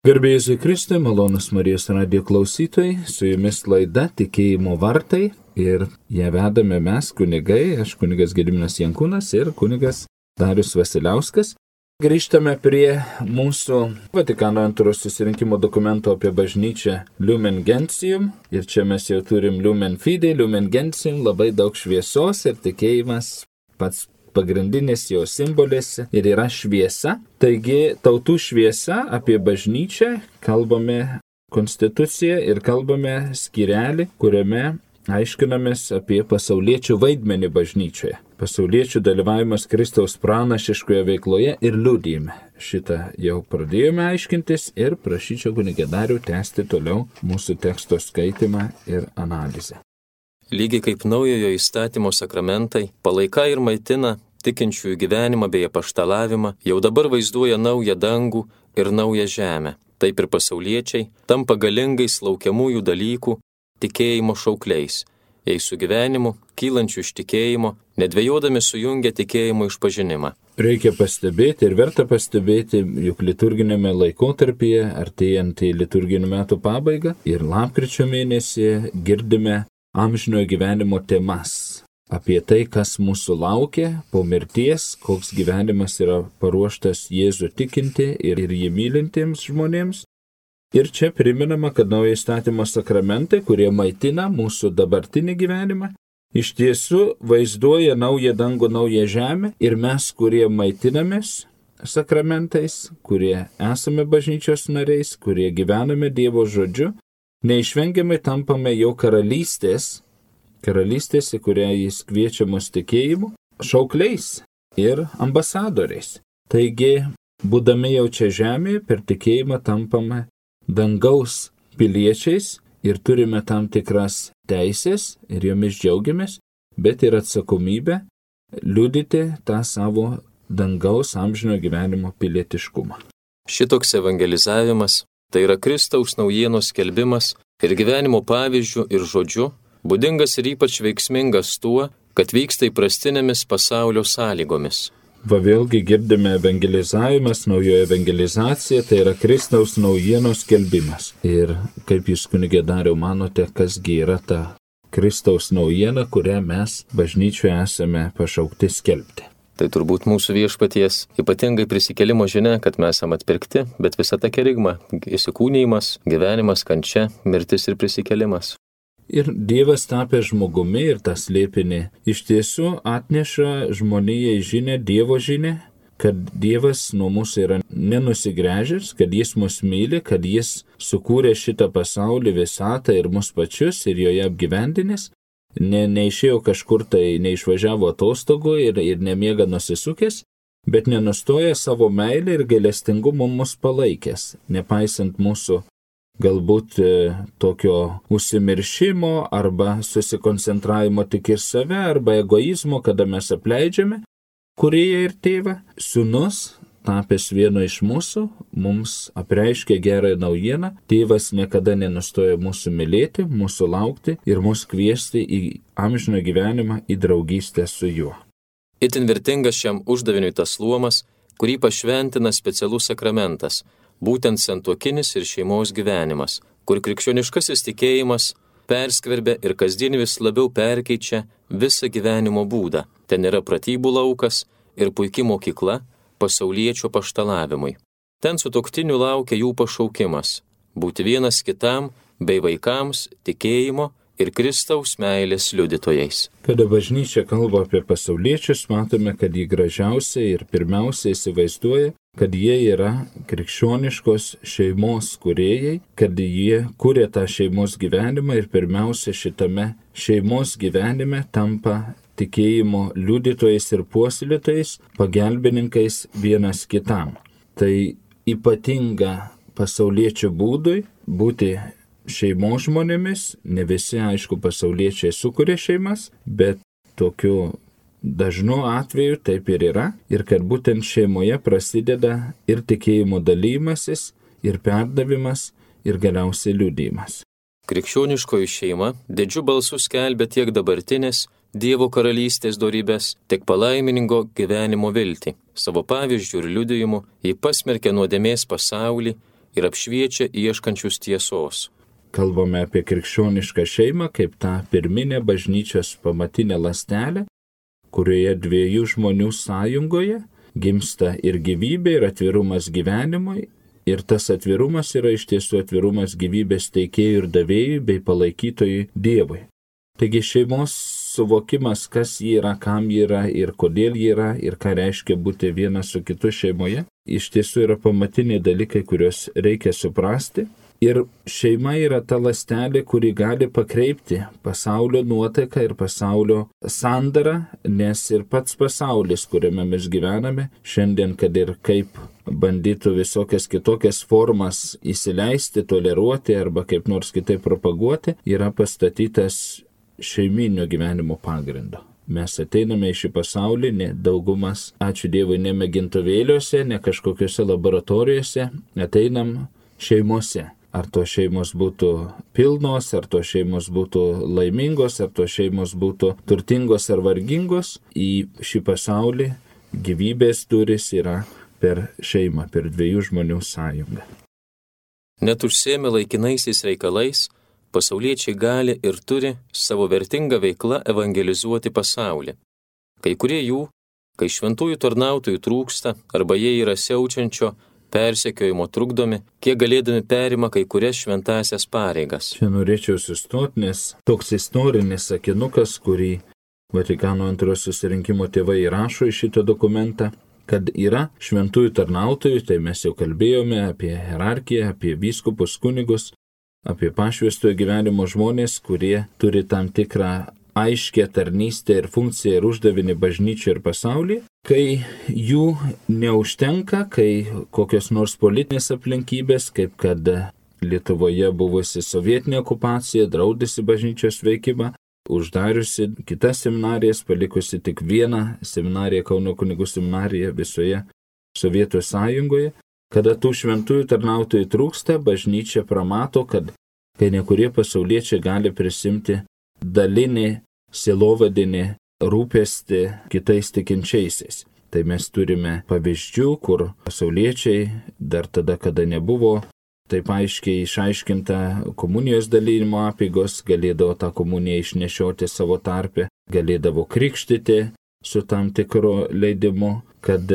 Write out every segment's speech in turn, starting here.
Garbė Jėzui Kristui, malonus Marijos radijo klausytojai, su jumis laida Tikėjimo vartai ir ją vedame mes kunigai, aš kunigas Gediminas Jankūnas ir kunigas Darius Vasiliauskas. Grįžtame prie mūsų Vatikano antrojo susirinkimo dokumento apie bažnyčią Lumen Gentium ir čia mes jau turim Lumen Fide, Lumen Gentium, labai daug šviesos ir tikėjimas pats pagrindinis jo simbolis ir yra šviesa. Taigi tautų šviesa apie bažnyčią, kalbame konstituciją ir kalbame skyrelį, kuriame aiškinamės apie pasauliečių vaidmenį bažnyčioje. Pasauliečių dalyvavimas Kristaus pranašiškoje veikloje ir liudijime. Šitą jau pradėjome aiškintis ir prašyčiau kunigą Darių tęsti toliau mūsų teksto skaitimą ir analizę. Lygiai kaip naujojo įstatymo sakramentai palaika ir maitina tikinčiųjų gyvenimą bei apaštalavimą, jau dabar vaizduoja naują dangų ir naują žemę. Taip ir pasauliečiai tampa galingais laukiamųjų dalykų tikėjimo šaukliais, jei su gyvenimu, kylančiu iš tikėjimo, nedvejodami sujungia tikėjimo išpažinimą. Reikia pastebėti ir verta pastebėti, juk liturginėme laikotarpyje, artėjant į liturginių metų pabaigą ir lapkričio mėnesį girdime amžinojo gyvenimo temas. Apie tai, kas mūsų laukia po mirties, koks gyvenimas yra paruoštas Jėzų tikinti ir jį mylintiems žmonėms. Ir čia priminama, kad naujo įstatymo sakramentai, kurie maitina mūsų dabartinį gyvenimą, iš tiesų vaizduoja naują dangų, naują žemę ir mes, kurie maitinamės sakramentais, kurie esame bažnyčios nariais, kurie gyvename Dievo žodžiu, neišvengiamai tampame jo karalystės, į kurią jis kviečia mus tikėjimu, šaukliais ir ambasadoriais. Taigi, būdami jau čia žemėje, per tikėjimą tampame dangaus piliečiais ir turime tam tikras teisės ir jomis džiaugiamės, bet ir atsakomybę liudyti tą savo dangaus amžinojo gyvenimo pilietiškumą. Šitoks evangelizavimas tai yra Kristaus naujienos skelbimas ir gyvenimo pavyzdžių ir žodžiu, būdingas ir ypač veiksmingas tuo, kad vyksta įprastinėmis pasaulio sąlygomis. Va vėlgi girdime evangelizavimas, naujoji evangelizacija, tai yra Kristaus naujienos skelbimas. Ir kaip jūs kunigė Dariau manote, kasgi yra ta Kristaus naujiena, kurią mes bažnyčioje esame pašaukti skelbti? Tai turbūt mūsų viešpaties ypatingai prisikėlimo žinia, kad mes esame atpirkti, bet visa ta kerigma, įsikūnijimas, gyvenimas, kančia, mirtis ir prisikėlimas. Ir Dievas tapęs žmogumi ir tą slėpinį iš tiesų atneša žmonijai žinę, Dievo žinę, kad Dievas nuo mūsų yra nenusigręžęs, kad jis mus myli, kad jis sukūrė šitą pasaulį, visatą ir mus pačius ir joje apgyvendinęs. Neišėjo kažkur tai, neišvažiavo atostogų ir nemiega nusisukęs, bet nenustoja savo meilę ir gailestingumu mus palaikęs, nepaisant mūsų galbūt tokio užsimiršimo arba susikoncentravimo tik ir save arba egoizmo, kada mes apleidžiame Kūrėją ir Tėvą. Sūnus, tapęs vienu iš mūsų, mums apreiškė gerąją naujieną. Tėvas niekada nenustoja mūsų mylėti, mūsų laukti ir mus kviesti į amžiną gyvenimą, į draugystę su juo. Itin vertingas šiam uždaviniui tas luomas, kurį pašventina specialus sakramentas, būtent santuokinis ir šeimos gyvenimas, kur krikščioniškasis tikėjimas perskverbia ir kasdien vis labiau perkeičia visą gyvenimo būdą. Ten yra pratybų laukas ir puiki mokykla pasauliečio paštalavimui. Ten sutuoktinių laukia jų pašaukimas – būti vienas kitam bei vaikams tikėjimo ir Kristaus meilės liudytojais. Kada bažnyčia kalba apie pasauliečius, matome, kad jį gražiausiai ir pirmiausiai įsivaizduoja, kad jie yra krikščioniškos šeimos kūrėjai, kad jie kūrė tą šeimos gyvenimą ir pirmiausia šitame šeimos gyvenime tampa tikėjimo liudytojais ir puoselėtojais, pagelbininkais vienas kitam. Tai ypatinga pasauliečių būdui būti šeimos žmonėmis, ne visi, aišku, pasauliečiai sukuria šeimas, bet tokiu dažnu atveju taip ir yra, ir kad būtent šeimoje prasideda ir tikėjimo dalymasis, ir perdavimas, ir galiausiai liudijimas. Krikščioniškoji šeima didžiu balsu skelbia tiek dabartinės Dievo karalystės dorybės, tiek palaimingo gyvenimo viltį. Savo pavyzdžių ir liudijimu ji pasmerkė nuodėmės pasaulį ir apšviečia ieškančius tiesos. Kalbame apie krikščionišką šeimą kaip tą pirminę bažnyčios pamatinę ląstelę, kurioje dviejų žmonių sąjungoje gimsta ir gyvybė, ir atvirumas gyvenimui, ir tas atvirumas yra iš tiesų atvirumas gyvybės teikėjui ir davėjui bei palaikytojui Dievui. Taigi šeimos suvokimas, kas ji yra, kam ji yra ir kodėl ji yra ir ką reiškia būti vienas su kitu šeimoje, iš tiesų yra pamatiniai dalykai, kuriuos reikia suprasti. Ir šeima yra ta ląstelė, kuri gali pakreipti pasaulio nuotaiką ir pasaulio sandarą, nes ir pats pasaulis, kuriame mes gyvename, šiandien, kad ir kaip bandytų visokias kitokias formas įsileisti, toleruoti arba kaip nors kitaip propaguoti, yra pastatytas šeiminio gyvenimo pagrindo. Mes ateiname į šį pasaulį, ne daugumas, ačiū Dievui, ne mėgintuvėliuose, ne kažkokiuose laboratorijose, ateinam šeimose. Ar to šeimos būtų pilnos, ar to šeimos būtų laimingos, ar to šeimos būtų turtingos ar vargingos, į šį pasaulį gyvybės durys yra per šeimą, per dviejų žmonių sąjungą. Net užsiėmę laikinaisiais reikalais, pasauliečiai gali ir turi savo vertingą veiklą evangelizuoti pasaulį. Kai kurie jų, kai šventųjų tarnautojų trūksta arba jie yra siaučiančio persekiojimo trukdomi, kiek galėdami perima kai kurias šventąsias pareigas. Čia norėčiau sustoti, nes toks istorinis sakinukas, kurį Vatikano antrojo susirinkimo tėvai įrašo į šitą dokumentą, kad yra šventųjų tarnautojų, tai mes jau kalbėjome apie hierarchiją, apie vyskupus, kunigus, apie pašvęstojo gyvenimo žmonės, kurie turi tam tikrą aiškę tarnystę ir funkciją ir uždavinį bažnyčiai ir pasaulyje. Kai jų neužtenka, kai kokios nors politinės aplinkybės, kaip kad Lietuvoje buvusi sovietinė okupacija, draudusi bažnyčios veikimą, uždariusi kitas seminarijas, palikusi tik vieną seminariją, Kauno kunigų seminariją visoje Sovietų sąjungoje. Kada tų šventųjų tarnautojų trūksta, bažnyčia pramato, kad kai nekurie pasauliečiai gali prisimti dalinį sielovadinį rūpestį kitais tikinčiaisiais. Tai mes turime pavyzdžių, kur pasauliečiai dar tada, kada nebuvo taip aiškiai išaiškinta komunijos dalymo apeigos, galėdavo tą komuniją išnešioti savo tarpe, galėdavo krikštyti su tam tikru leidimu, kad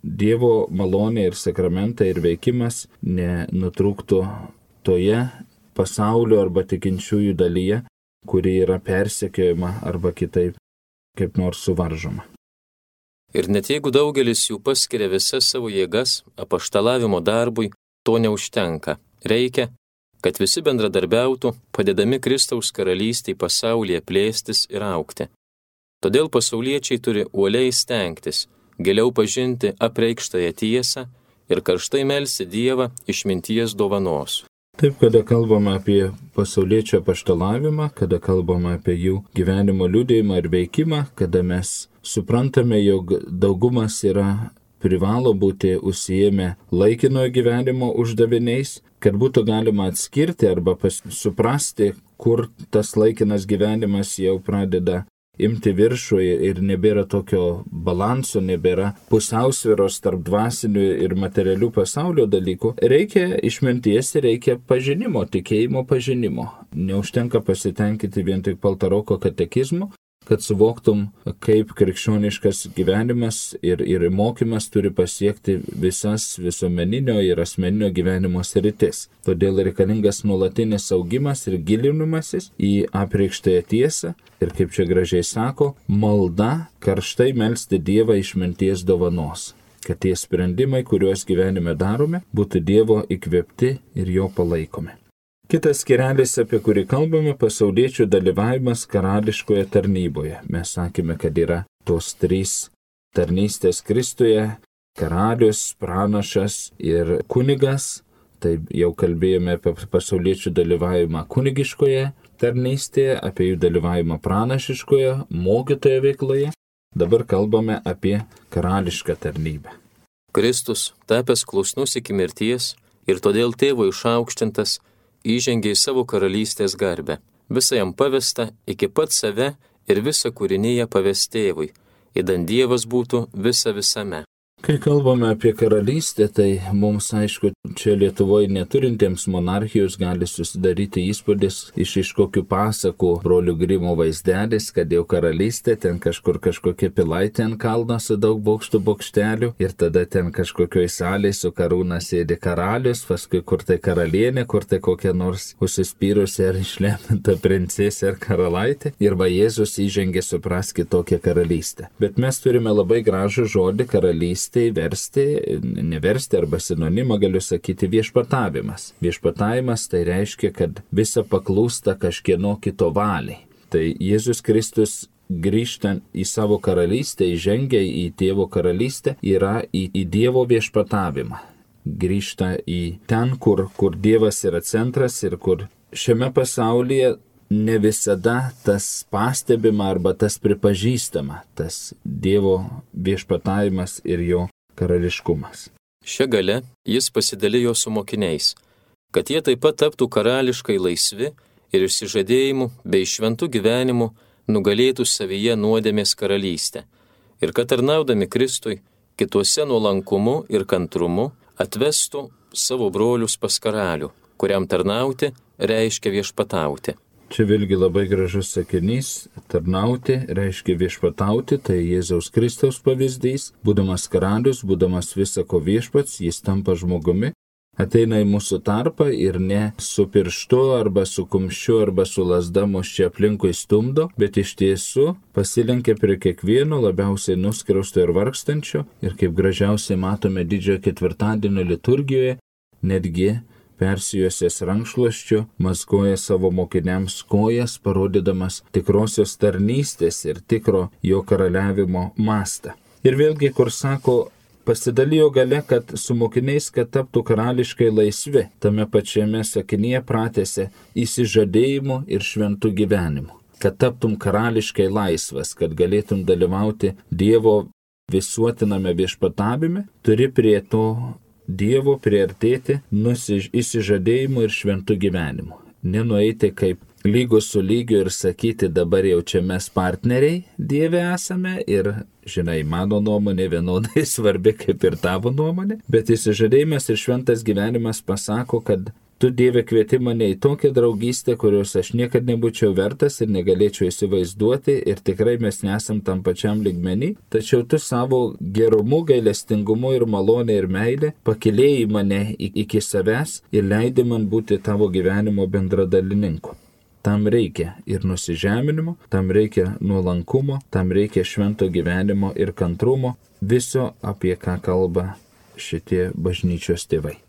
Dievo malonė ir sakramentai ir veikimas nenutrūktų toje pasaulio arba tikinčiųjų dalyje, kuri yra persekiojama arba kitaip kaip nors suvaržoma. Ir net jeigu daugelis jų paskiria visas savo jėgas apaštalavimo darbui, to neužtenka. Reikia, kad visi bendradarbiautų, padėdami Kristaus karalystei pasaulyje plėstis ir augti. Todėl pasauliečiai turi uoliai stengtis, giliau pažinti apreikštąją tiesą ir karštai melsti Dievą išminties dovanos. Taip, kada kalbame apie pasauliečio apaštalavimą, kada kalbame apie jų gyvenimo liudijimą ir veikimą, kada mes suprantame, jog daugumas privalo būti užsiėmę laikinojo gyvenimo uždaviniais, kad būtų galima atskirti arba suprasti, kur tas laikinas gyvenimas jau pradeda imti viršų ir nebėra tokio balanso, nebėra pusiausvyros tarp dvasinių ir materialių pasaulio dalykų. Reikia išminties ir reikia pažinimo, tikėjimo pažinimo. Neužtenka pasitenkinti vien tik paltaroko katekizmu, kad suvoktum, kaip krikščioniškas gyvenimas ir mokymas turi pasiekti visas visuomeninio ir asmeninio gyvenimo sritis. Todėl reikalingas nuolatinis augimas ir gilinimasis į apreikštąją tiesą ir, kaip čia gražiai sako, malda karštai melsti Dievą išminties dovanos, kad tie sprendimai, kuriuos gyvenime darome, būtų Dievo įkvėpti ir jo palaikomi. Kitas skyrelis, apie kurį kalbame, pasauliečių dalyvavimas karališkoje tarnyboje. Mes sakėme, kad yra tos trys tarnystės Kristuje - karalius, pranašas ir kunigas. Tai jau kalbėjome apie pasauliečių dalyvavimą kunigiškoje tarnystėje, apie jų dalyvavimą pranašiškoje, mokytojo veikloje. Dabar kalbame apie karališką tarnybę. Kristus, tapęs klusnus iki mirties ir todėl tėvo išaukštintas, įžengė į savo karalystės garbę. Visa jam pavesta iki pat save ir visą kūrinyje pavest tėvui, įdant Dievas būtų visa visame. Kai kalbame apie karalystę, tai mums aišku, čia Lietuvoje neturintiems monarchijos gali susidaryti įspūdis iš kokių pasakų brolių Grimo vaizdelis, kad jau karalystė, ten kažkokia pilaitė ant kalno su daug bokštelių ir tada ten kažkokioj salėje su karūna sėdi karalius, paskui kur tai karalienė, kur tai kokia nors užsispyrusi ar išlepinta princesė ar karalaitė ir va Jėzus įžengė supraski tokią karalystę. Bet mes turime labai gražų žodį karalystė. Neversti arba sinonimą galiu sakyti viešpatavimas. Viešpatavimas tai reiškia, kad visa paklūsta kažkieno kito valiai. Tai Jėzus Kristus grįžtant į savo karalystę, įžengia į Tėvo karalystę, yra į Dievo viešpatavimą. Grįžta į ten, kur Dievas yra centras ir kur šiame pasaulyje ne visada tas pastebima arba tas pripažįstama, tas Dievo viešpatavimas ir jo karališkumas. Šia gale jis pasidalijo su mokiniais, kad jie taip pat taptų karališkai laisvi ir išsižadėjimu bei šventų gyvenimu nugalėtų savyje nuodėmės karalystę ir kad tarnaudami Kristui kituose nuolankumu ir kantrumu atvestų savo brolius pas karalių, kuriam tarnauti reiškia viešpatauti. Čia vėlgi labai gražus sakinys, tarnauti reiškia viešpatauti, tai Jėzaus Kristaus pavyzdys, būdamas karalius, būdamas visako viešpats, jis tampa žmogumi, ateina į mūsų tarpą ir ne su pirštu arba su kumščiu arba su lazda mus čia aplinkui stumdo, bet iš tiesų pasilenkia prie kiekvieno labiausiai nuskriausto ir vargstančio ir kaip gražiausiai matome didžiojo ketvirtadienio liturgijoje, netgi persijosės rankšluosčiu, mazgoja savo mokiniams kojas, parodydamas tikrosios tarnystės ir tikro jo karaliavimo mastą. Ir vėlgi, kur sako, pasidalijo gale, kad su mokiniais, kad taptų karališkai laisvi, tame pačiame sakinyje pratęsė įsižadėjimu ir šventų gyvenimu. Kad taptum karališkai laisvas, kad galėtum dalyvauti Dievo visuotiname viešpatavime, turi prie to Dievo priartėti įsižadėjimu ir šventų gyvenimu. Nenueiti kaip lygus su lygiu ir sakyti, dabar jau čia mes partneriai Dieve esame ir, žinai, mano nuomonė vienodai svarbi kaip ir tavo nuomonė, bet įsižadėjimas ir šventas gyvenimas pasako, kad tu Dieve kvieti mane į tokią draugystę, kurios aš niekad nebūčiau vertas ir negalėčiau įsivaizduoti ir tikrai mes nesam tam pačiam lygmenį, tačiau tu savo gerumu, gailestingumu ir malonė ir meilė pakilėjai mane iki savęs ir leidai man būti tavo gyvenimo bendradalininku. Tam reikia ir nusižeminimo, tam reikia nuolankumo, tam reikia švento gyvenimo ir kantrumo, viso apie ką kalba šitie bažnyčios tėvai.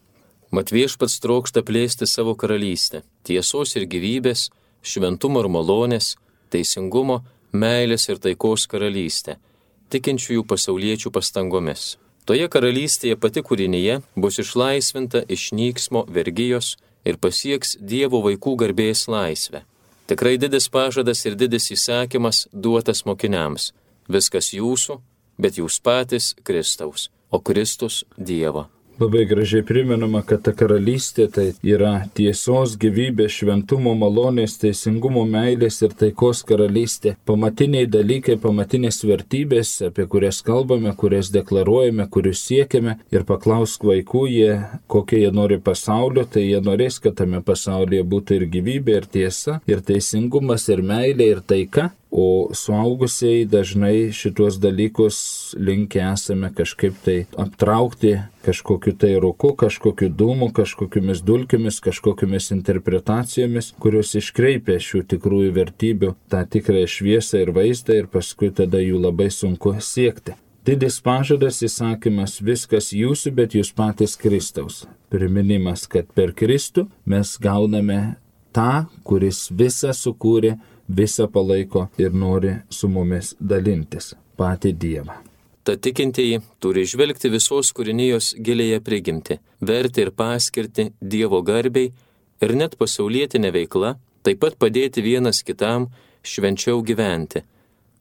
Mat viešpats trokšta plėsti savo karalystę, tiesos ir gyvybės, šventumo ir malonės, teisingumo, meilės ir taikos karalystę, tikinčiųjų pasauliečių pastangomis. Toje karalystėje pati kūrinyje bus išlaisvinta iš nyksmo, vergijos ir pasieks Dievo vaikų garbės laisvę. Tikrai didis pažadas ir didis įsakymas duotas mokiniams. Viskas jūsų, bet jūs patys Kristaus, o Kristus Dievo. Labai gražiai primenama, kad ta karalystė tai yra tiesos, gyvybės, šventumo, malonės, teisingumo, meilės ir taikos karalystė. Pamatiniai dalykai, pamatinės vertybės, apie kurias kalbame, kurias deklaruojame, kurius siekiame. Ir paklausk vaikų, kokie jie nori pasaulio, tai jie norės, kad tame pasaulyje būtų ir gyvybė, ir tiesa, ir teisingumas, ir meilė, ir taika. O suaugusiai dažnai šitos dalykus linkę esame kažkaip tai aptraukti kažkokiu tai rūku, kažkokiu dūmu, kažkokiamis dulkėmis, kažkokiamis interpretacijomis, kurios iškreipia šių tikrųjų vertybių tą tikrąją šviesą ir vaizdą ir paskui tada jų labai sunku siekti. Didis pažadas, įsakymas, viskas jūsų, bet jūs patys Kristaus. Priminimas, kad per Kristų mes gauname tą, kuris visą sukūrė, visą palaiko ir nori su mumis dalintis, patį Dievą. Ta tikintieji turi žvelgti visos kūrinijos gilėje prigimti, verti ir paskirti Dievo garbei ir net pasaulietinė veikla, taip pat padėti vienas kitam švenčiau gyventi,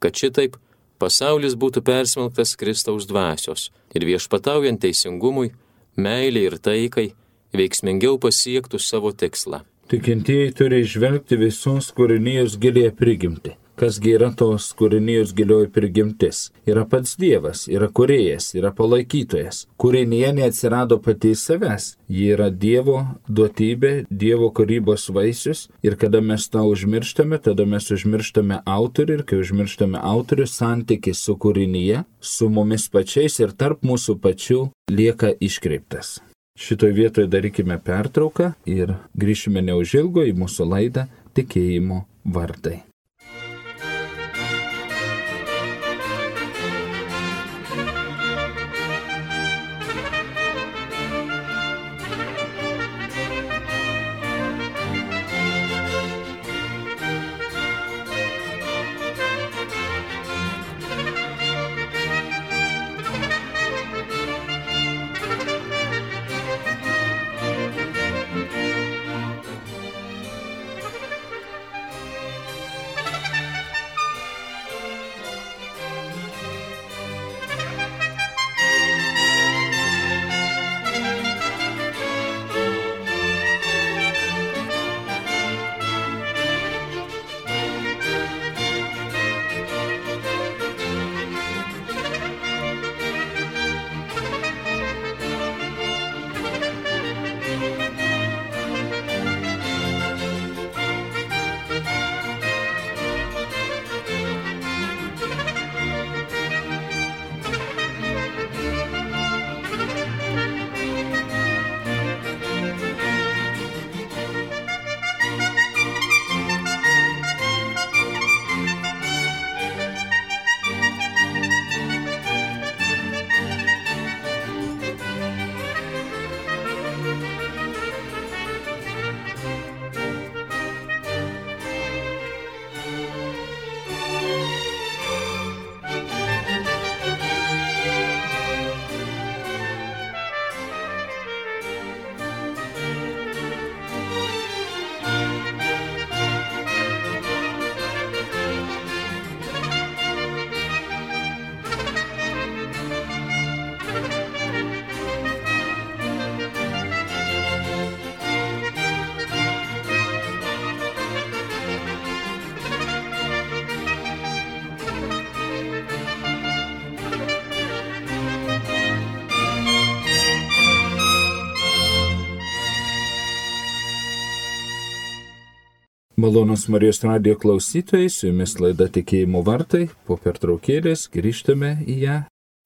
kad šitaip pasaulis būtų persmelktas Kristaus dvasios ir viešpataujant teisingumui, meilei ir taikai veiksmingiau pasiektų savo tikslą. Tikintieji turi žvelgti visos kūrinijos gilėje prigimti. kasgi yra tos kūrinijos gilioji prigimtis. Yra pats Dievas, yra kūrėjas, yra palaikytojas. Kūrinyje neatsirado pati savęs. Ji yra Dievo duotybė, Dievo kūrybos vaisius. Ir kada mes tą užmirštame, tada mes užmirštame autorių. Ir kai užmirštame autorių, santykis su kūrinyje, su mumis pačiais ir tarp mūsų pačių lieka iškreiptas. Šitoje vietoje darykime pertrauką ir grįšime neužilgo į mūsų laidą Tikėjimo vartai. Malonus Marijos radijo klausytojai, su jumis laida Tikėjimo vartai, po pertraukėlės grįžtame į ją,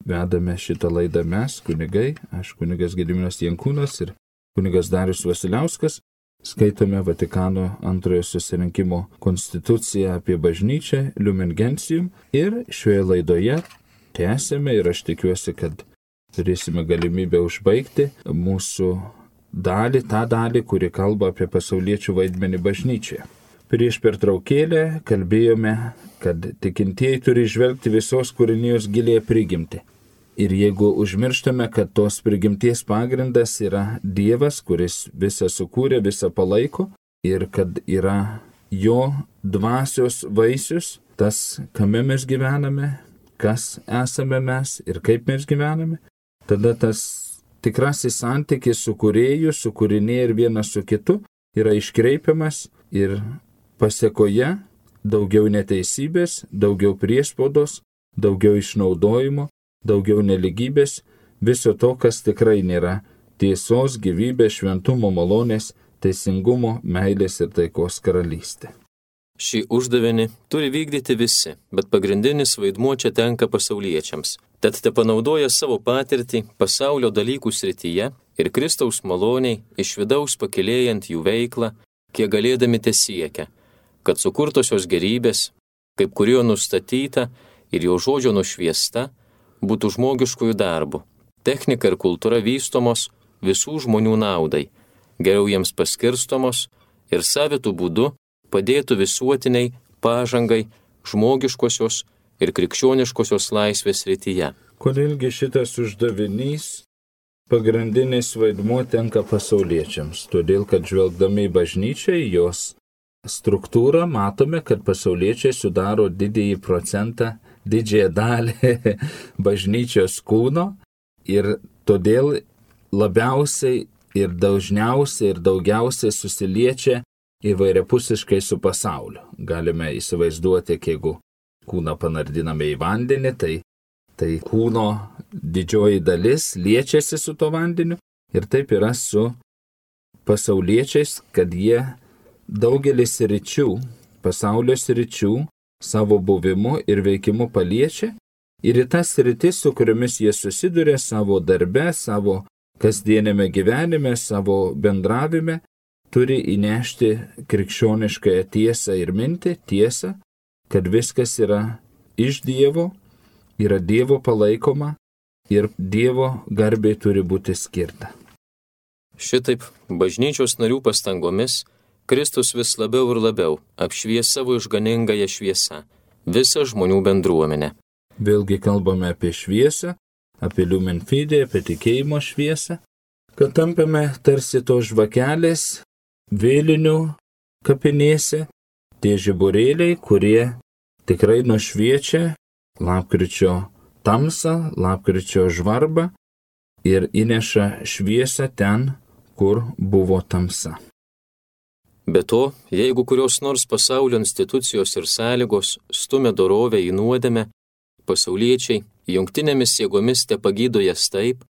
vedame šitą laidą mes, kunigai, aš kunigas Gediminas Jankūnas ir kunigas Darius Vasiliauskas, skaitome Vatikano antrojo susirinkimo konstituciją apie bažnyčią, Lumen Gentium, ir šioje laidoje tęsėme ir aš tikiuosi, kad turėsime galimybę užbaigti mūsų dalį, tą dalį, kuri kalba apie pasauliečių vaidmenį bažnyčioje. Prieš pertraukėlę kalbėjome, kad tikintieji turi žvelgti visos kūrinijos gilėje prigimtį. Ir jeigu užmirštame, kad tos prigimties pagrindas yra Dievas, kuris visą sukūrė, visą palaiko, ir kad yra jo dvasios vaisius, tas, kame mes gyvename, kas esame mes ir kaip mes gyvename, tada tas tikrasis santykis su kūrėju, su kūrinėje ir vienas su kitu yra iškreipiamas ir pasėkoje daugiau neteisybės, daugiau priespaudos, daugiau išnaudojimo, daugiau neligybės, viso to, kas tikrai nėra tiesos, gyvybės, šventumo, malonės, teisingumo, meilės ir taikos karalystė. Šį uždavinį turi vykdyti visi, bet pagrindinis vaidmuo čia tenka pasauliečiams. Tad tepanaudoja savo patirtį pasaulio dalykų srityje ir Kristaus maloniai iš vidaus pakilėjant jų veiklą, kiek galėdami tesiekia, kad sukurtosios gerybės, kaip kurio nustatyta ir jo žodžio nušviesta, būtų žmogiškųjų darbų. Technika ir kultūra vystomos visų žmonių naudai, geriau jiems paskirstomos ir savitų būdų padėtų visuotiniai pažangai žmogiškosios ir krikščioniškosios laisvės srityje. Kodėlgi šitas uždavinys pagrindinis vaidmuo tenka pasauliečiams? Todėl, kad žvelgdami į bažnyčią, jos struktūrą, matome, kad pasauliečiai sudaro didįjį procentą, didžiąją dalį bažnyčios kūno ir todėl labiausiai ir dažniausiai ir daugiausiai susiliečia įvairiapusiškai su pasauliu. Galime įsivaizduoti, jeigu kūną panardiname į vandenį, tai kūno didžioji dalis liečiasi su to vandeniu ir taip yra su pasauliečiais, kad jie daugelis sričių, pasaulio sričių savo buvimu ir veikimu paliečia ir į tas sritis, su kuriomis jie susiduria savo darbe, savo kasdienėme gyvenime, savo bendravime, turi įnešti krikščioniškąją tiesą ir mintį, tiesą, kad viskas yra iš Dievo, yra Dievo palaikoma ir Dievo garbei turi būti skirta. Šitaip bažnyčios narių pastangomis Kristus vis labiau ir labiau apšvies savo išganingąją šviesą visą žmonių bendruomenę. Vėlgi kalbame apie šviesą, apie Lumen Fide, apie tikėjimo šviesą, kad tampame tarsi to žvakelės vėlinių kapinėse, tie žiburėliai, kurie tikrai nušviečia lapkričio tamsą, lapkričio žvarbą ir įneša šviesą ten, kur buvo tamsa. Be to, jeigu kurios nors pasaulio institucijos ir sąlygos stumia dorovę į nuodėmę, pasauliečiai jungtinėmis jėgomis tepagydo jas taip,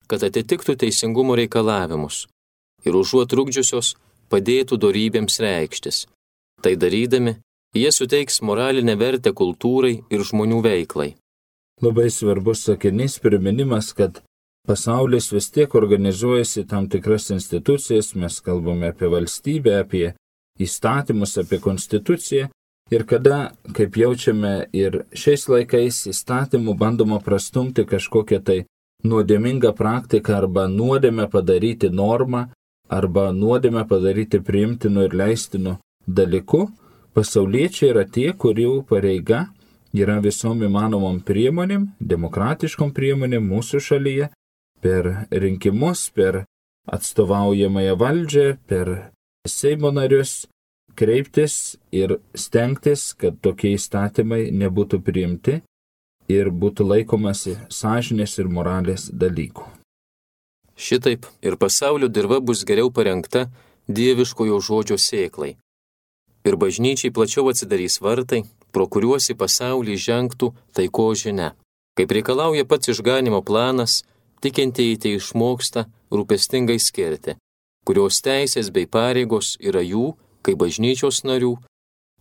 kad atitiktų teisingumo reikalavimus ir užuot trukdžiusios padėtų dorybėms reikštis. Tai darydami, jie suteiks moralinę vertę kultūrai ir žmonių veiklai. Labai svarbus sakinys priminimas, kad pasaulis vis tiek organizuojasi tam tikras institucijas, mes kalbame apie valstybę, apie įstatymus, apie konstituciją ir kada, kaip jaučiame ir šiais laikais įstatymų bandoma prastumti kažkokią tai nuodėmingą praktiką arba nuodėmę padaryti normą arba nuodėmę padaryti priimtinu ir leistinu dalyku, pasauliečiai yra tie, kurių pareiga yra visom įmanomom priemonėm, demokratiškom priemonėm mūsų šalyje, per rinkimus, per atstovaujamąją valdžią, per Seimo narius kreiptis ir stengtis, kad tokie įstatymai nebūtų priimti ir būtų laikomasi sąžinės ir moralės dalykų. Šitaip ir pasaulio dirva bus geriau parengta dieviškojo žodžio sėklai. Ir bažnyčiai plačiau atsidarys vartai, pro kuriuos į pasaulį žengtų taiko žinia. Kaip reikalauja pats išganimo planas, tikintieji tai išmoksta rūpestingai skirti, kurios teisės bei pareigos yra jų, kaip bažnyčios narių,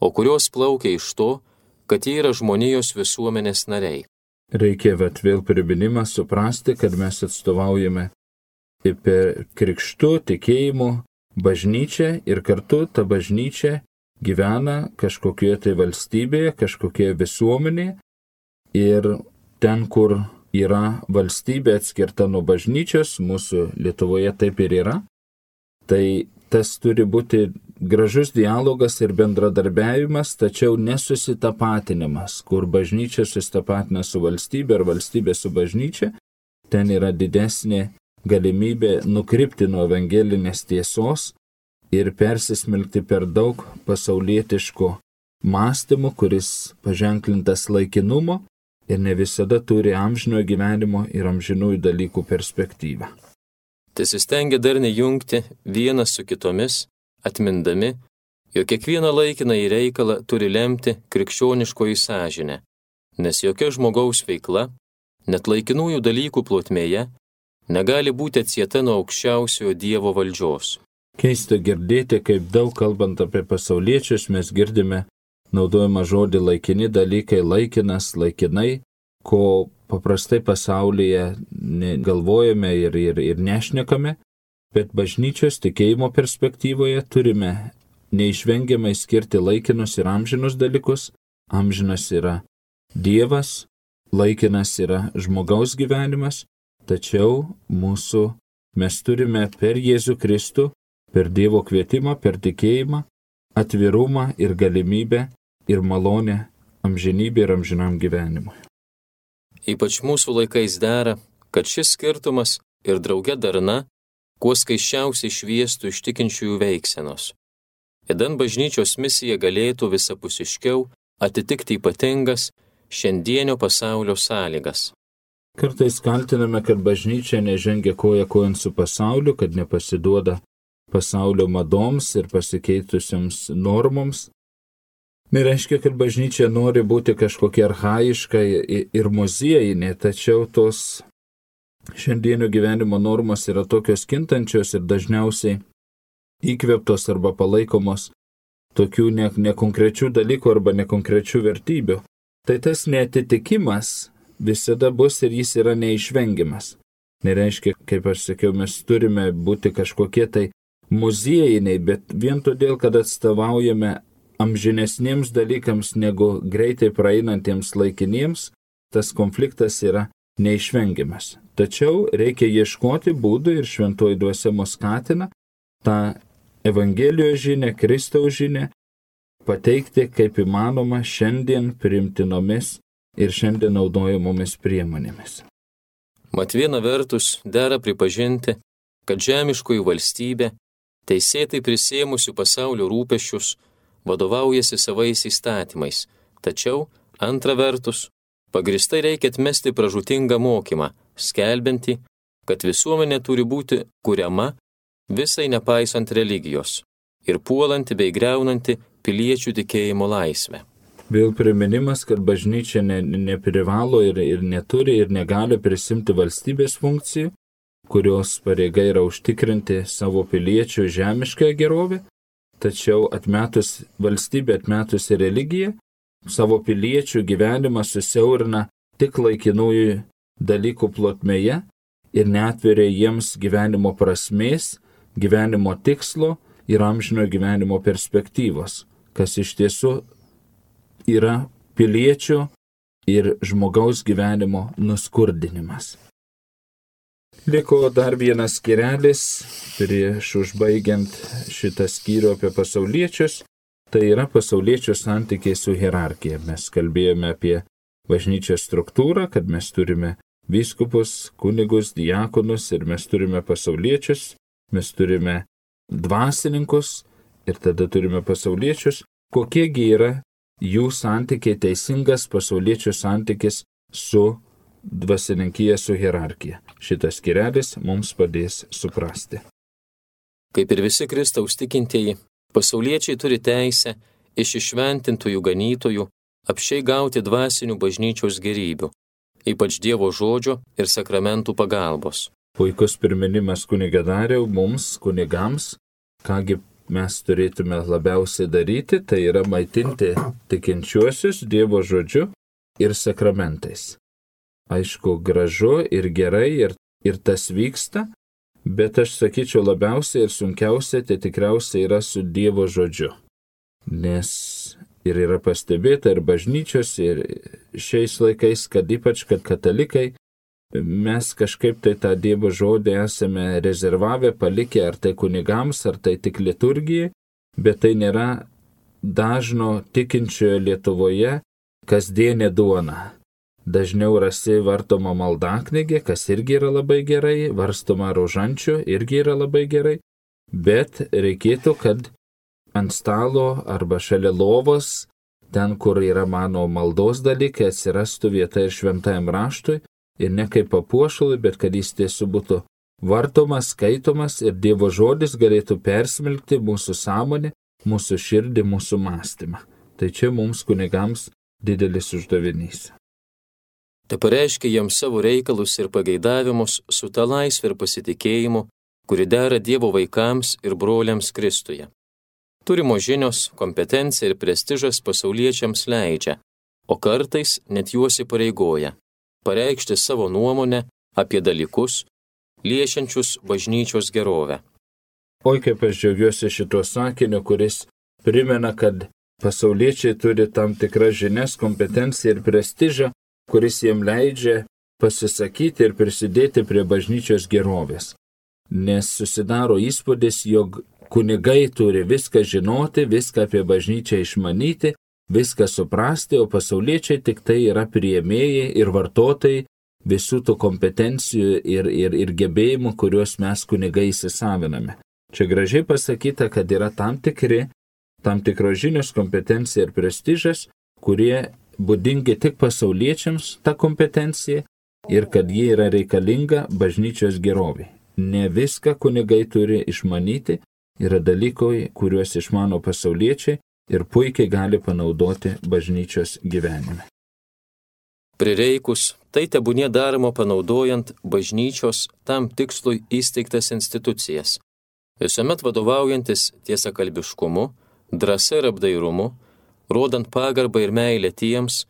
o kurios plaukia iš to, kad jie yra žmonijos visuomenės nariai. Reikia vėl priminimą suprasti, kad mes atstovaujame per krikštų tikėjimo bažnyčią ir kartu ta bažnyčia gyvena kažkokioje tai valstybėje, kažkokioje visuomenėje ir ten, kur yra valstybė atskirta nuo bažnyčios, mūsų Lietuvoje taip ir yra, tai tas turi būti gražus dialogas ir bendradarbiavimas, tačiau nesusitapatinimas, kur bažnyčia susitapatina su valstybė ar valstybė su bažnyčia, ten yra didesnė galimybė nukrypti nuo evangelinės tiesos ir persismelkti per daug pasaulietiško mąstymo, kuris paženklintas laikinumo ir ne visada turi amžinojo gyvenimo ir amžinųjų dalykų perspektyvą. Tesistengia darniai jungti vienas su kitomis, atmindami, jog kiekvieną laikiną į reikalą turi lemti krikščioniškoji sąžinė, nes jokia žmogaus veikla, net laikinųjų dalykų plotmėje, negali būti atsieta nuo aukščiausiojo Dievo valdžios. Keista girdėti, kaip daug kalbant apie pasauliečius mes girdime naudojama žodį laikini dalykai, laikinas, laikinai, ko paprastai pasaulyje galvojame ir nešnekame, bet bažnyčios tikėjimo perspektyvoje turime neišvengiamai skirti laikinus ir amžinus dalykus. Amžinas yra Dievas, laikinas yra žmogaus gyvenimas, tačiau mes turime per Jėzų Kristų, per Dievo kvietimą, per tikėjimą, atvirumą ir galimybę ir malonę amžinybė ir amžinam gyvenimui. Ypač mūsų laikais dera, kad šis skirtumas ir drauge darna kuo skaisčiausiai šviestų iš tikinčiųjų veiksenos. Idant bažnyčios misija galėtų visapusiškiau atitikti ypatingas šiandienio pasaulio sąlygas. Kartais kaltiname, kad bažnyčia nežengia koja kojon su pasauliu, kad nepasiduoda pasaulio madoms ir pasikeitusiams normoms. Nereiškia, kad bažnyčia nori būti kažkokia archaiška ir muziejinė, tačiau tos šiandienio gyvenimo normos yra tokios kintančios ir dažniausiai įkvėptos arba palaikomos tokių nekonkrečių dalykų arba nekonkrečių vertybių. Tai tas neatitikimas visada bus ir jis yra neišvengiamas. Nereiškia, kaip aš sakiau, mes turime būti kažkokie tai muziejiniai, bet vien todėl, kad atstovaujame amžinesniems dalykams negu greitai praeinantiems laikiniems, tas konfliktas yra neišvengiamas. Tačiau reikia ieškoti būdų ir šventoji dvasia mus skatina tą Evangelijos žinią, Kristaus žinią pateikti kaip įmanoma šiandien priimtinomis ir šiandien naudojamomis priemonėmis. Mat viena vertus dera pripažinti, kad žemiškoji valstybė, teisėtai prisėmusių pasaulio rūpesčius, vadovaujasi savais įstatymais, tačiau, antra vertus, pagristai reikia atmesti pražūtingą mokymą, skelbiantį, kad visuomenė turi būti kuriama visai nepaisant religijos ir puolanti bei greunanti piliečių tikėjimo laisvę. Vėl priminimas, kad bažnyčia neprivalo ir neturi ir negali prisimti valstybės funkcijų, kurios pareiga yra užtikrinti savo piliečių žemiškąją gerovę, tačiau atmetus valstybę, atmetus religiją, savo piliečių gyvenimą susiaurina tik laikinųjų dalykų plotmėje ir neatveria jiems gyvenimo prasmės, gyvenimo tikslo ir amžino gyvenimo perspektyvos, kas iš tiesų yra piliečių ir žmogaus gyvenimo nuskurdinimas. Liko dar vienas skyrelis prieš užbaigiant šitą skyrių apie pasauliečius, tai yra pasauliečių santykiai su hierarchija. Mes kalbėjome apie bažnyčios struktūrą, kad mes turime vyskupus, kunigus, diakonus ir mes turime pasauliečius, mes turime dvasininkus ir tada turime pasauliečius. Kokiegi yra jų santykiai, teisingas pasauliečių santykis su dvasininkija, su hierarchija. Šitas skyrelis mums padės suprasti. Kaip ir visi Kristaus tikintieji, pasauliečiai turi teisę iš išventintųjų ganytojų apsčiai gauti dvasinių bažnyčios gerybių, ypač Dievo žodžio ir sakramentų pagalbos. Puikus priminimas kuniga Dariau mums, kunigams, kągi mes turėtume labiausiai daryti, tai yra maitinti tikinčiuosius Dievo žodžiu ir sakramentais. Aišku, gražu ir gerai ir tas vyksta, bet aš sakyčiau labiausiai ir sunkiausia tai tikriausiai yra su Dievo žodžiu. Nes ir yra pastebėta ir bažnyčios, ir šiais laikais, kad ypač, kad katalikai, mes kažkaip tai tą Dievo žodį esame rezervavę, palikę ar tai kunigams, ar tai tik liturgijai, bet tai nėra dažno tikinčiojo Lietuvoje kasdienė duona. Dažniau rasi vartoma maldaknygė, kas irgi yra labai gerai, varstoma rožančių irgi yra labai gerai, bet reikėtų, kad ant stalo arba šalia lovos, ten, kur yra mano maldos dalykai, atsirastų vieta ir šventajam raštui, ir ne kaip papuošalui, bet kad jis tiesiog būtų vartomas, skaitomas ir Dievo žodis galėtų persmelkti mūsų sąmonę, mūsų širdį, mūsų mąstymą. Tai čia mums kunigams didelis uždavinys. Tai pareiškia jiems savo reikalus ir pageidavimus su ta laisvė ir pasitikėjimu, kuri dera Dievo vaikams ir broliams Kristuje. Turimo žinios, kompetencija ir prestižas pasauliečiams leidžia, o kartais net juos įpareigoja pareikšti savo nuomonę apie dalykus, liečiančius bažnyčios gerovę. Oi, kaip aš džiaugiuosi šituo sakiniu, kuris primena, kad pasauliečiai turi tam tikras žinias, kompetenciją ir prestižą, kuris jiem leidžia pasisakyti ir prisidėti prie bažnyčios gerovės. Nes susidaro įspūdis, jog kunigai turi viską žinoti, viską apie bažnyčią išmanyti, viską suprasti, o pasauliečiai tik tai yra priėmėjai ir vartotojai visų tų kompetencijų ir gebėjimų, kuriuos mes kunigai įsisaviname. Čia gražiai pasakyta, kad yra tam tikros žinios, kompetencija ir prestižas, kurie būdingi tik pasauliečiams ta kompetencija ir kad jie yra reikalinga bažnyčios gerovė. Ne viską kunigai turi išmanyti, yra dalykai, kuriuos išmano pasauliečiai ir puikiai gali panaudoti bažnyčios gyvenime. Prireikus, tai tebūnie daroma panaudojant bažnyčios tam tikslui įsteigtas institucijas, visuomet vadovaujantis tiesakalbiškumu, drąsa ir apdairumu, rodant pagarbą ir meilę tiems,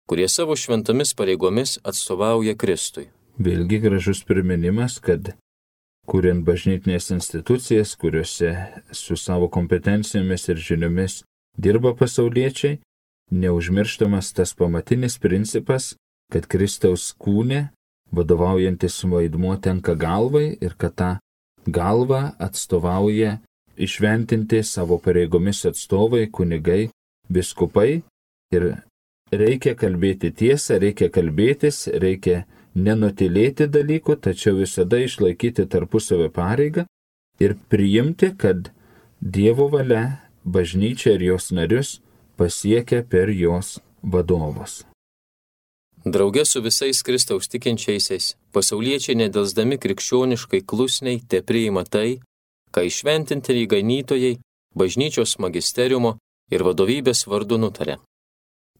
kurie savo šventomis pareigomis atstovauja Kristui. Vėlgi gražus priminimas, kad kuriant bažnytinės institucijas, kuriuose su savo kompetencijomis ir žiniomis dirba pasauliečiai, neužmirštamas tas pamatinis principas, kad Kristaus kūne vadovaujantis vaidmuo tenka galvai ir kad tą galvą atstovauja išventinti savo pareigomis atstovai, kunigai, vyskupai ir reikia kalbėti tiesą, reikia kalbėtis, reikia nenutylėti dalykų, tačiau visada išlaikyti tarpusavio pareigą ir priimti, kad Dievo valia bažnyčia ir jos narius pasiekia per jos vadovus. Drauge su visais Kristaus tikinčiaisiais, pasauliečiai nedelsdami krikščioniškai klusniai tepriima tai, ką įšventintieji ganytojai bažnyčios magisteriumo ir vadovybės vardu nutarė.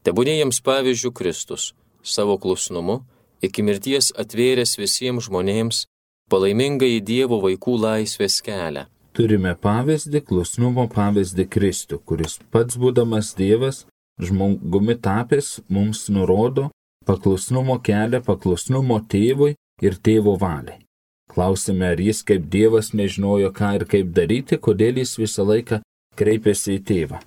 Tebūnie jiems pavyzdžių Kristus, savo klusnumu, iki mirties atvėręs visiems žmonėms palaimingai Dievo vaikų laisvės kelią. Turime pavyzdį, klusnumo pavyzdį Kristų, kuris pats būdamas Dievas, žmogumi tapęs, mums nurodo paklusnumo kelią, paklusnumo tėvui ir tėvo valiai. Klausime, ar jis kaip Dievas nežinojo, ką ir kaip daryti, kodėl jis visą laiką kreipėsi į tėvą.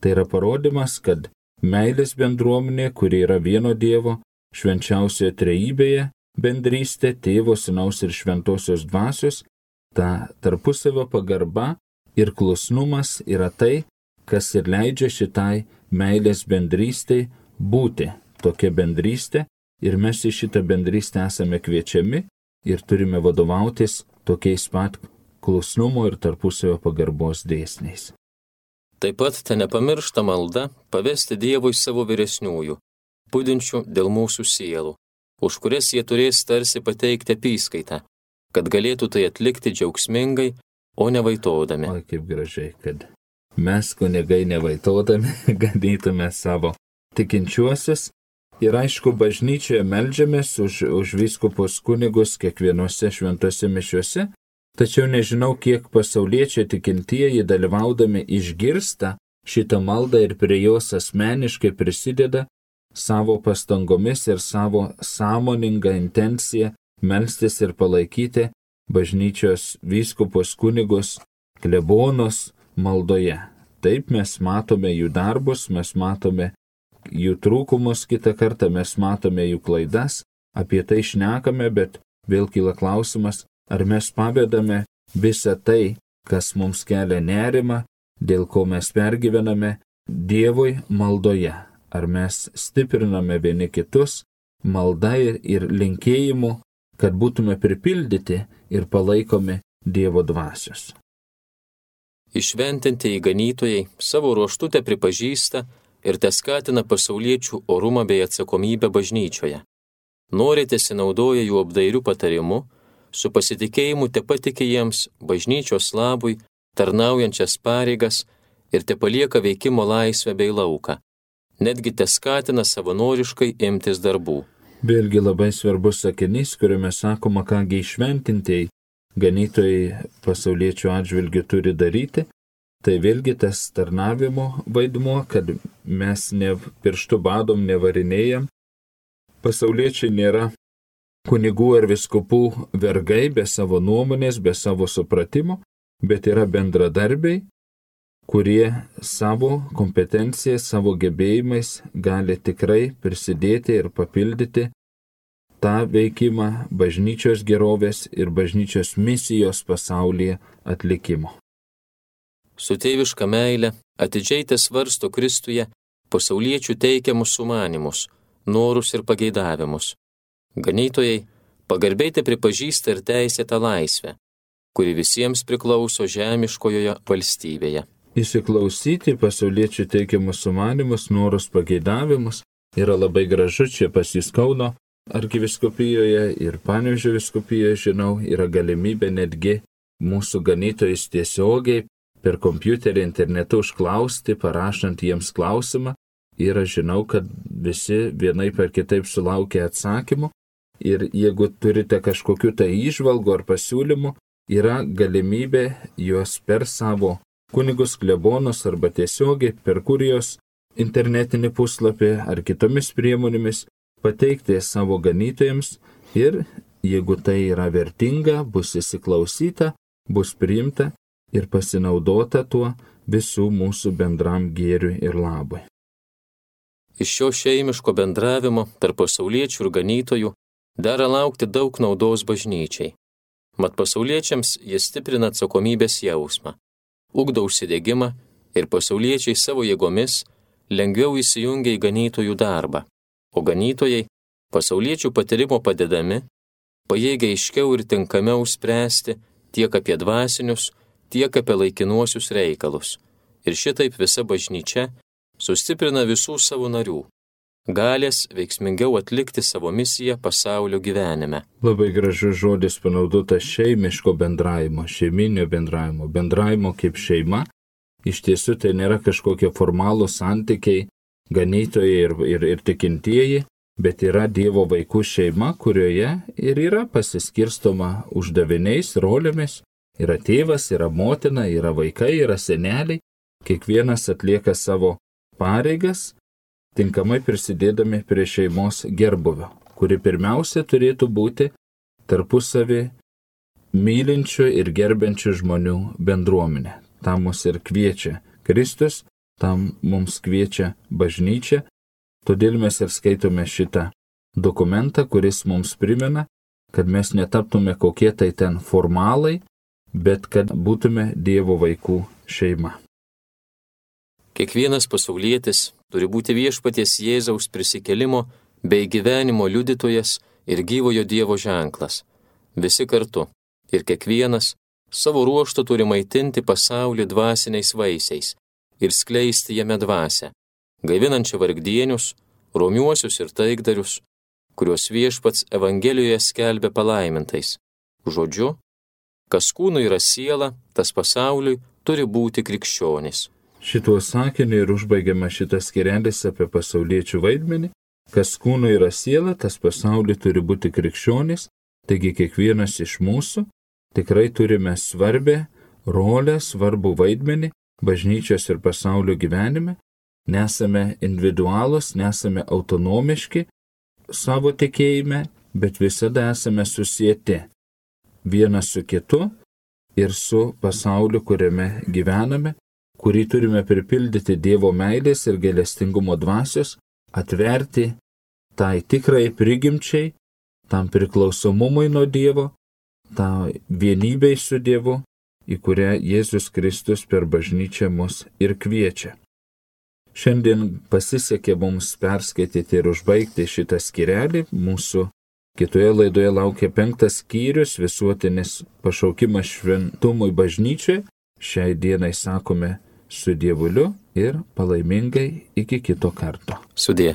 Tai yra parodymas, kad meilės bendruomenė, kuri yra vieno Dievo, švenčiausioje trejybėje, bendrystė, tėvo, sūnaus ir šventosios dvasios, ta tarpusavio pagarba ir klusnumas yra tai, kas ir leidžia šitai meilės bendrystei būti. Tokia bendrystė ir mes į šitą bendrystę esame kviečiami ir turime vadovautis tokiais pat klusnumo ir tarpusavio pagarbos dėsniais. Taip pat te nepamiršta malda pavesti Dievui savo vyresniųjų, budinčių dėl mūsų sielų, už kurias jie turės tarsi pateikti apyskaitą, kad galėtų tai atlikti džiaugsmingai, o nevaitodami. O kaip gražiai, kad mes kunigai nevaitodami ganytume savo tikinčiuosius. Ir aišku, bažnyčioje meldžiamės už vyskupus kunigus kiekvienose šventose mišiuose, tačiau nežinau, kiek pasauliečiai tikintieji dalyvaudami išgirsta šitą maldą ir prie jos asmeniškai prisideda savo pastangomis ir savo sąmoningą intenciją melstis ir palaikyti bažnyčios vyskupus kunigus, klebonus maldoje. Taip mes matome jų darbus, mes matome jų trūkumus, kitą kartą mes matome jų klaidas, apie tai šnekame, bet vėl kyla klausimas, ar mes pavedame visą tai, kas mums kelia nerimą, dėl ko mes pergyvename, Dievui maldoje. Ar mes stipriname vieni kitus malda ir linkėjimu, kad būtume pripildyti ir palaikomi Dievo dvasios. Išventintieji ganytojai savo ruožtu te pripažįsta ir te skatina pasauliečių orumą bei atsakomybę bažnyčioje. Norite sinaudoja jų apdairių patarimu, su pasitikėjimu te patikė jiems bažnyčios labui tarnaujančias pareigas ir te palieka veikimo laisvę bei lauką. Netgi te skatina savanoriškai imtis darbų. Vėlgi labai svarbus sakinys, kuriame sakoma, kągi išventintieji ganytojai pasauliečių atžvilgių turi daryti. Tai vėlgi tas tarnavimo vaidmuo, kad mes ne pirštų badom nevarinėjam. Pasauliečiai nėra kunigų ar vyskupų vergai be savo nuomonės, be savo supratimo, bet yra bendradarbiai, kurie savo kompetenciją, savo gebėjimais gali tikrai prisidėti ir papildyti tą veikimą bažnyčios gerovės ir bažnyčios misijos pasaulyje atlikimo. Su tėviška meile atidžiai te svarsto Kristuje pasauliečių teikiamus sumanimus, norus ir pageidavimus. Ganytojai pagarbiai te pripažįsta ir teisėtą laisvę, kuri visiems priklauso žemiškojoje valstybėje. Įsiklausyti pasauliečių teikiamus sumanimus, norus, pageidavimus yra labai gražu. Čia pas jus Kauno arkiviskupijoje ir Panevėžio vyskupijoje, žinau, yra galimybė netgi mūsų ganytojais tiesiogiai per kompiuterį internetu užklausti, parašant jiems klausimą. Ir aš žinau, kad visi vienaip ar kitaip sulaukia atsakymų. Ir jeigu turite kažkokių tai įžvalgų ar pasiūlymų, yra galimybė juos per savo kunigus, klebonus arba tiesiogiai per kurijos internetinį puslapį ar kitomis priemonėmis pateikti savo ganytojams ir jeigu tai yra vertinga, bus įsiklausyta, bus priimta ir pasinaudota tuo visų mūsų bendram gėriui ir labui. Iš šio šeimiško bendravimo tarp pasauliečių ir ganytojų dera laukti daug naudos bažnyčiai. Mat pasauliečiams jis stiprina atsakomybės jausmą, ugdo užsidegimą ir pasauliečiai savo jėgomis lengviau įsijungia į ganytojų darbą, o ganytojai pasauliečių patyrimo padedami pajėgia aiškiau ir tinkamiau spręsti tiek apie dvasinius, tiek apie laikinuosius reikalus. Ir šitaip visa bažnyčia sustiprina visų savo narių, galės veiksmingiau atlikti savo misiją pasaulio gyvenime. Labai gražus žodis panaudotas šeimiško bendravimo, šeiminio bendravimo, bendravimo kaip šeima. Iš tiesų tai nėra kažkokie formalūs santykiai, ganytojai ir tikintieji, bet yra Dievo vaikų šeima, kurioje ir yra pasiskirstoma uždaviniais, rolėmis. Yra tėvas, yra motina, yra vaikai, yra seneliai. Kiekvienas atlieka savo pareigas, tinkamai prisidėdami prie šeimos gerbuvio, kuri pirmiausia turėtų būti tarpusavį mylinčių ir gerbiančių žmonių bendruomenė. Tam mus ir kviečia Kristus, tam mums kviečia bažnyčia. Todėl mes ir skaitome šitą dokumentą, kuris mums primena, kad mes netaptume kokie tai ten formalai, bet kad būtume Dievo vaikų šeima. Kiekvienas pasaulietis turi būti viešpaties Jėzaus prisikėlimo bei gyvenimo liudytojas ir gyvojo Dievo ženklas. Visi kartu ir kiekvienas savo ruožtu turi maitinti pasaulį dvasiniais vaisiais ir skleisti jame dvasią, gaivinančią vargdienius, romiuosius ir taikdarius, kuriuos viešpats Evangelijoje skelbia palaimintais. Žodžiu, kas kūnui yra siela, tas pasauliui turi būti krikščionis. Šituo sakiniu ir užbaigiama šitas skirelis apie pasauliečių vaidmenį. Kas kūnui yra siela, tas pasauliui turi būti krikščionis, taigi kiekvienas iš mūsų tikrai turime svarbę rolę, svarbų vaidmenį bažnyčios ir pasaulio gyvenime. Nesame individualūs, nesame autonomiški savo tikėjime, bet visada esame susieti vienas su kitu ir su pasauliu, kuriame gyvename, kurį turime pripildyti Dievo meilės ir gailestingumo dvasios, atverti tai tikrai prigimčiai, tam priklausomumui nuo Dievo, tą vienybei su Dievu, į kurią Jėzus Kristus per bažnyčią mus ir kviečia. Šiandien pasisekė mums perskaityti ir užbaigti šitą skyrelį. Mūsų kitoje laidoje laukia 5 skyrius, visuotinis pašaukimas šventumui bažnyčiai. Šiai dienai sakome su Dievuliu ir palaimingai iki kito karto. Sudie.